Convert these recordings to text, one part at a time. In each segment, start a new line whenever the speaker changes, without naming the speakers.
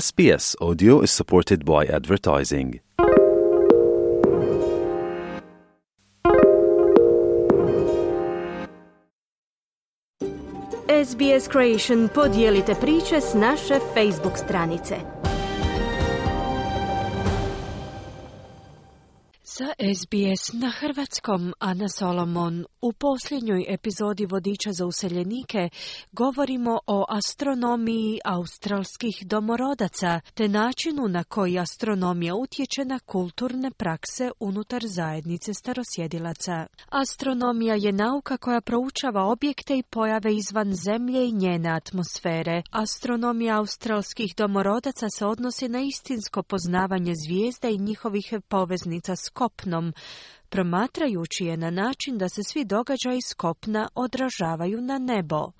SBS Audio is supported by advertising.
SBS Creation podijelite priče s naše Facebook stranice. Za SBS na hrvatskom Ana Solomon. U posljednjoj epizodi Vodiča za useljenike govorimo o astronomiji australskih domorodaca te načinu na koji astronomija utječe na kulturne prakse unutar zajednice starosjedilaca. Astronomija je nauka koja proučava objekte i pojave izvan Zemlje i njene atmosfere. Astronomija australskih domorodaca se odnosi na istinsko poznavanje zvijezda i njihovih poveznica s kopnom, promatrajući je na način da se svi događaji s kopna odražavaju na nebo.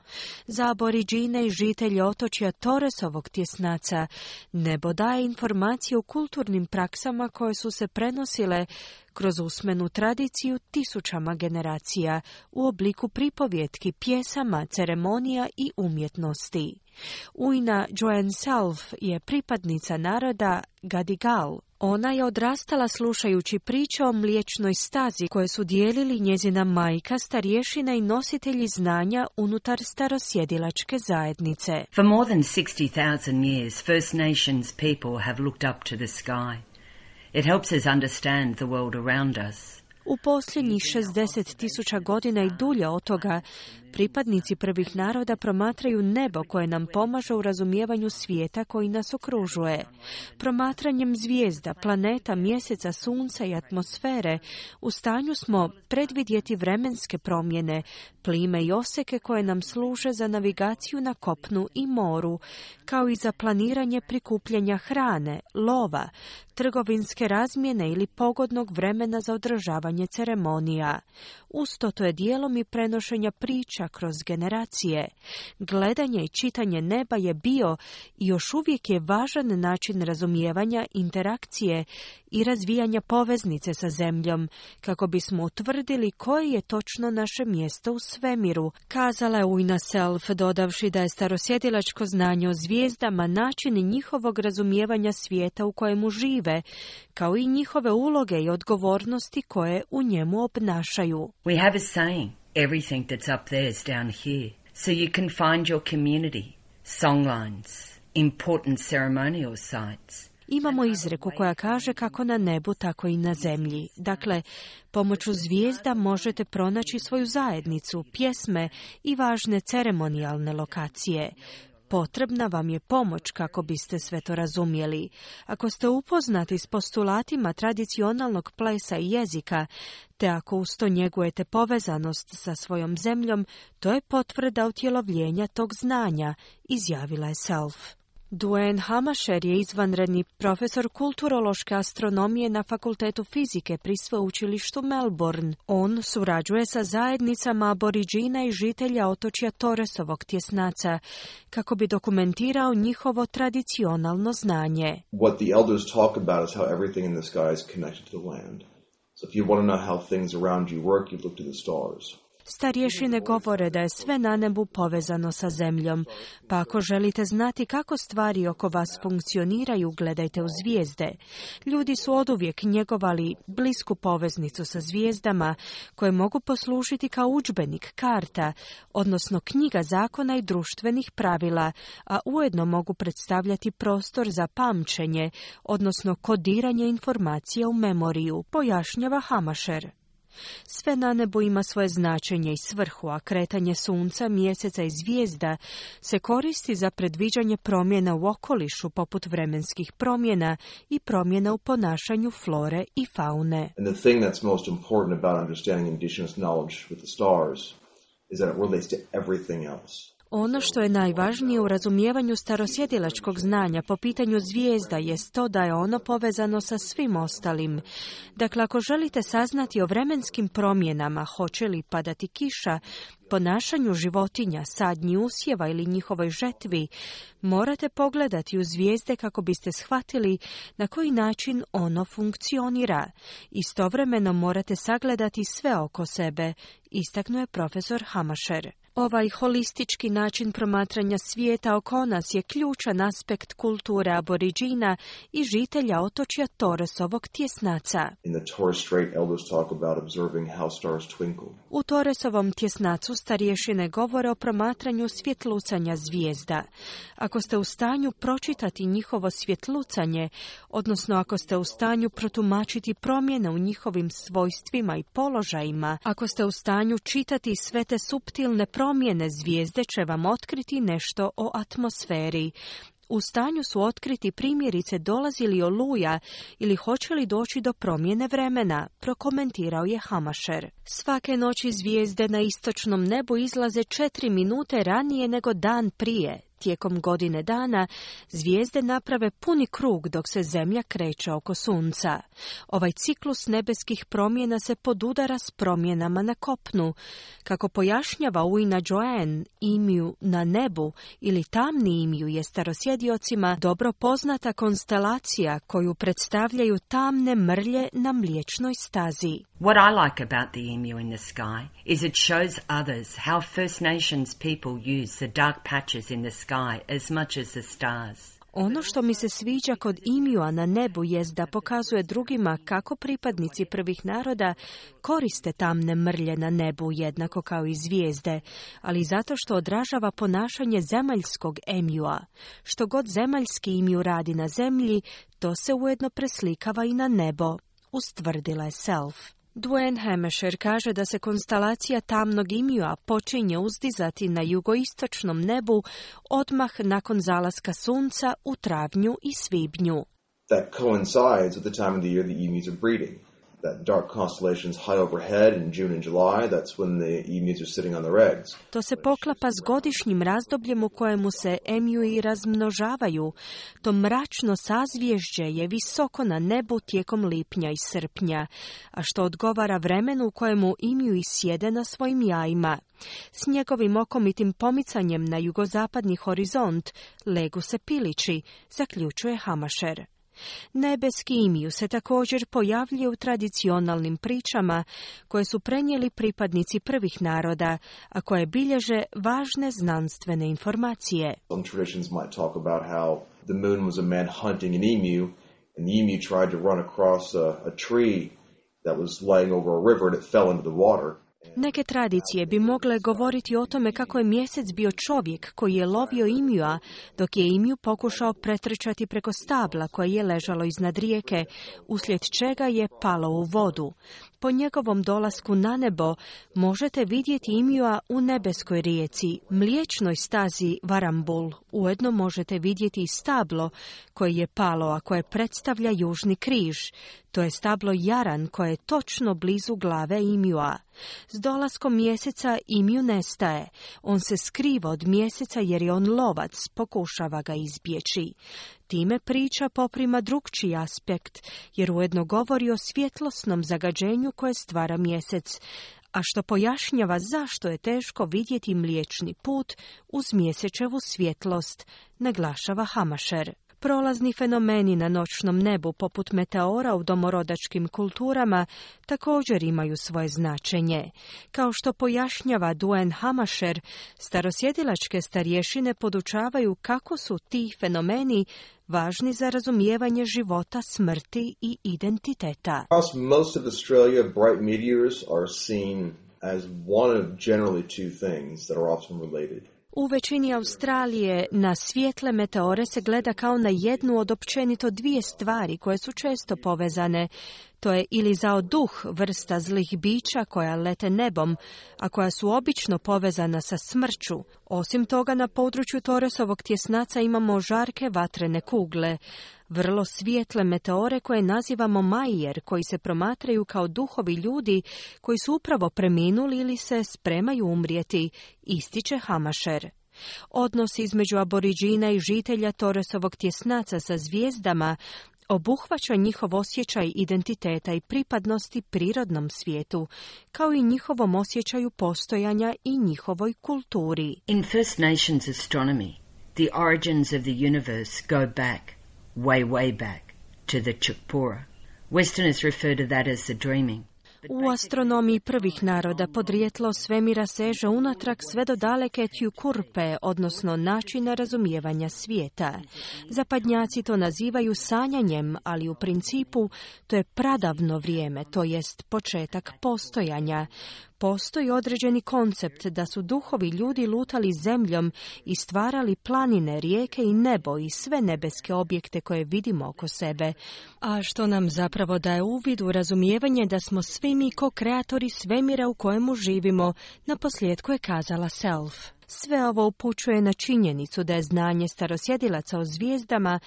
Za aboriđine i žitelje otočja Torresovog tjesnaca nebo daje informacije o kulturnim praksama koje su se prenosile kroz usmenu tradiciju tisućama generacija u obliku pripovjetki, pjesama, ceremonija i umjetnosti. Ujna Joanne Self je pripadnica naroda Gadigal. Ona je odrastala slušajući priče o mliječnoj stazi koje su dijelili njezina majka, starješina i nositelji znanja unutar starosjedilačke zajednice.
For more than 60,000 years, First Nations people have looked up to the sky. It helps us understand the world around us.
U posljednjih 60.000 godina i dulje od toga, pripadnici prvih naroda promatraju nebo koje nam pomaže u razumijevanju svijeta koji nas okružuje. Promatranjem zvijezda, planeta, mjeseca, sunca i atmosfere u stanju smo predvidjeti vremenske promjene, plime i oseke koje nam služe za navigaciju na kopnu i moru, kao i za planiranje prikupljanja hrane, lova, trgovinske razmjene ili pogodnog vremena za održavanje ceremonija. Usto to je dijelom i prenošenja priča kroz generacije. Gledanje i čitanje neba je bio i još uvijek je važan način razumijevanja, interakcije i razvijanja poveznice sa Zemljom, kako bismo utvrdili koje je točno naše mjesto u svemiru, kazala je Ujna Self, dodavši da je starosjedilačko znanje o zvijezdama način njihovog razumijevanja svijeta u kojemu žive, kao i njihove uloge i odgovornosti koje u njemu obnašaju.
We have a saying, everything that's up there is down here. So you can find your community, songlines, important ceremonial sites.
Imamo izreku koja kaže kako na nebu, tako i na zemlji. Dakle, pomoću zvijezda možete pronaći svoju zajednicu, pjesme i važne ceremonijalne lokacije. Potrebna vam je pomoć kako biste sve to razumjeli. Ako ste upoznati s postulatima tradicionalnog plesa i jezika, te ako uz to njegujete povezanost sa svojom zemljom, to je potvrda utjelovljenja tog znanja, izjavila je Self. Duane Hamasher je izvanredni profesor kulturološke astronomije na Fakultetu fizike pri sveučilištu Melbourne. On surađuje sa zajednicama aboriđina i žitelja otočja Torresovog tjesnaca kako bi dokumentirao njihovo tradicionalno znanje.
What the elders talk about is how everything in the sky is connected to the land. So if you want to know how things around you work, you look to the stars.
Starješine govore da je sve na nebu povezano sa Zemljom, pa ako želite znati kako stvari oko vas funkcioniraju, gledajte u zvijezde. Ljudi su oduvijek njegovali blisku poveznicu sa zvijezdama, koje mogu poslužiti kao udžbenik, karta, odnosno knjiga zakona i društvenih pravila, a ujedno mogu predstavljati prostor za pamćenje, odnosno kodiranje informacija u memoriju, pojašnjava Hamasher. Sve na nebu ima svoje značenje i svrhu, a kretanje sunca, mjeseca i zvijezda se koristi za predviđanje promjena u okolišu poput vremenskih promjena i promjena u ponašanju flore i faune.
And the thing that's most important about understanding indigenous knowledge with the stars is that it relates to everything else.
Ono što je najvažnije u razumijevanju starosjedilačkog znanja po pitanju zvijezda jest to da je ono povezano sa svim ostalim. Dakle, ako želite saznati o vremenskim promjenama, hoće li padati kiša, ponašanju životinja, sadnji usjeva ili njihovoj žetvi, morate pogledati u zvijezde kako biste shvatili na koji način ono funkcionira. Istovremeno morate sagledati sve oko sebe, istaknuo je profesor Hamasher. Ovaj holistički način promatranja svijeta oko nas je ključan aspekt kulture aboriđina i žitelja otočja Torresovog tjesnaca.
In the Torres Strait, elders talk about observing how stars twinkle.
U Torresovom tjesnacu starješine govore o promatranju svjetlucanja zvijezda. Ako ste u stanju pročitati njihovo svjetlucanje, odnosno ako ste u stanju protumačiti promjene u njihovim svojstvima i položajima, ako ste u stanju čitati sve te suptilne promjene, zvijezde će vam otkriti nešto o atmosferi. U stanju su otkriti primjerice dolazi li oluja ili hoće li doći do promjene vremena, prokomentirao je Hamacher. Svake noći zvijezde na istočnom nebu izlaze 4 minute ranije nego dan prije. Tijekom godine dana zvijezde naprave puni krug dok se Zemlja kreće oko Sunca. Ovaj ciklus nebeskih promjena se podudara s promjenama na kopnu. Kako pojašnjava Uina Joanne, imiju na nebu ili tamni imiju je starosjediocima dobro poznata konstelacija koju predstavljaju tamne mrlje na Mliječnoj stazi.
What I like about the emu in the sky is it shows others how First Nations people use the dark patches in the sky as much as the stars.
Ono što mi se sviđa kod imija na nebu jest da pokazuje drugima kako pripadnici prvih naroda koriste tamne mrlje na nebu jednako kao i zvijezde, ali zato što odražava ponašanje zemaljskog emija. Što god zemaljski imiju radi na zemlji, to se ujedno preslikava i na nebo, ustvrdila je Self. Duane Hamacher kaže da se konstelacija tamnog imija počinje uzdizati na jugoistočnom nebu odmah nakon zalaska sunca u travnju i svibnju.
That coincides with the time of the year the emus are breeding. That dark constellation's high overhead in June and July, that's when the emus are sitting on their eggs.
To se poklapa s godišnjim razdobljem u kojemu se emiji razmnožavaju. To mračno sazvježđe je visoko na nebu tijekom lipnja i srpnja, a što odgovara vremenu u kojemu emiji sjede na svojim jajima. S njegovim okomitim pomicanjem na jugozapadni horizont legu se pilići, zaključuje Hamacher. Nebeski imiju se također pojavljuje u tradicionalnim pričama koje su prenijeli pripadnici prvih naroda, a koje bilježe važne znanstvene informacije.
Some traditions might talk about how the moon was a man hunting an emu, and the emu tried to run across a tree that was laying over a river and it fell into the water.
Neke tradicije bi mogle govoriti o tome kako je mjesec bio čovjek koji je lovio imija, dok je imiju pokušao pretrčati preko stabla koje je ležalo iznad rijeke, uslijed čega je palo u vodu. Po njegovom dolasku na nebo možete vidjeti imija u nebeskoj rijeci, Mliječnoj stazi Varambul. Ujedno možete vidjeti i stablo koje je palo, a koje predstavlja južni križ. To je stablo Jaran koje je točno blizu glave imija. S dolaskom mjeseca imiju nestaje. On se skriva od mjeseca jer je on lovac, pokušava ga izbjeći. Time priča poprima drukčiji aspekt, jer ujedno govori o svjetlosnom zagađenju koje stvara mjesec, a što pojašnjava zašto je teško vidjeti Mliječni put uz mjesečevu svjetlost, naglašava Hamacher. Prolazni fenomeni na noćnom nebu, poput meteora u domorodačkim kulturama, također imaju svoje značenje. Kao što pojašnjava Duane Hamacher, starosjedilačke starješine podučavaju kako su ti fenomeni važni za razumijevanje života, smrti i identiteta.
Across most of Australia, bright meteors are seen as one of generally two things that are often related.
U većini Australije na svijetle meteore se gleda kao na jednu od općenito dvije stvari koje su često povezane. To je ili zao duh, vrsta zlih bića koja lete nebom, a koja su obično povezana sa smrću. Osim toga, na području Torresovog tjesnaca imamo žarke vatrene kugle, vrlo svijetle meteore koje nazivamo Majer, koji se promatraju kao duhovi ljudi koji su upravo preminuli ili se spremaju umrijeti, ističe Hamacher. Odnos između aboriđina i žitelja Torresovog tjesnaca sa zvijezdama obuhvaća njihov osjećaj identiteta i pripadnosti prirodnom svijetu, kao i njihovom osjećaju postojanja i njihovoj kulturi.
In First Nations astronomy, the origins of the universe go back, way back, to the Chukpura. Westerners refer to that as the dreaming.
U astronomiji prvih naroda podrijetlo svemira seže unatrag sve do daleke Tjukurpe, odnosno načina razumijevanja svijeta. Zapadnjaci to nazivaju sanjanjem, ali u principu to je pradavno vrijeme, to jest početak postojanja. Postoji određeni koncept da su duhovi ljudi lutali zemljom i stvarali planine, rijeke i nebo i sve nebeske objekte koje vidimo oko sebe, a što nam zapravo daje uvid u razumijevanje da smo svi mi ko-kreatori svemira u kojemu živimo, naposljetku je kazala Self. Sve ovo upućuje na činjenicu da je znanje starosjedilaca o zvijezdama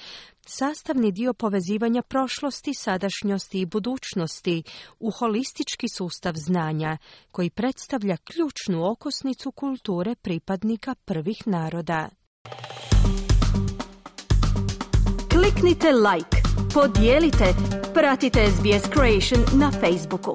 sastavni dio povezivanja prošlosti, sadašnjosti i budućnosti u holistički sustav znanja, koji predstavlja ključnu okosnicu kulture pripadnika prvih naroda. Kliknite like, podijelite, pratite SBS Creation na Facebooku.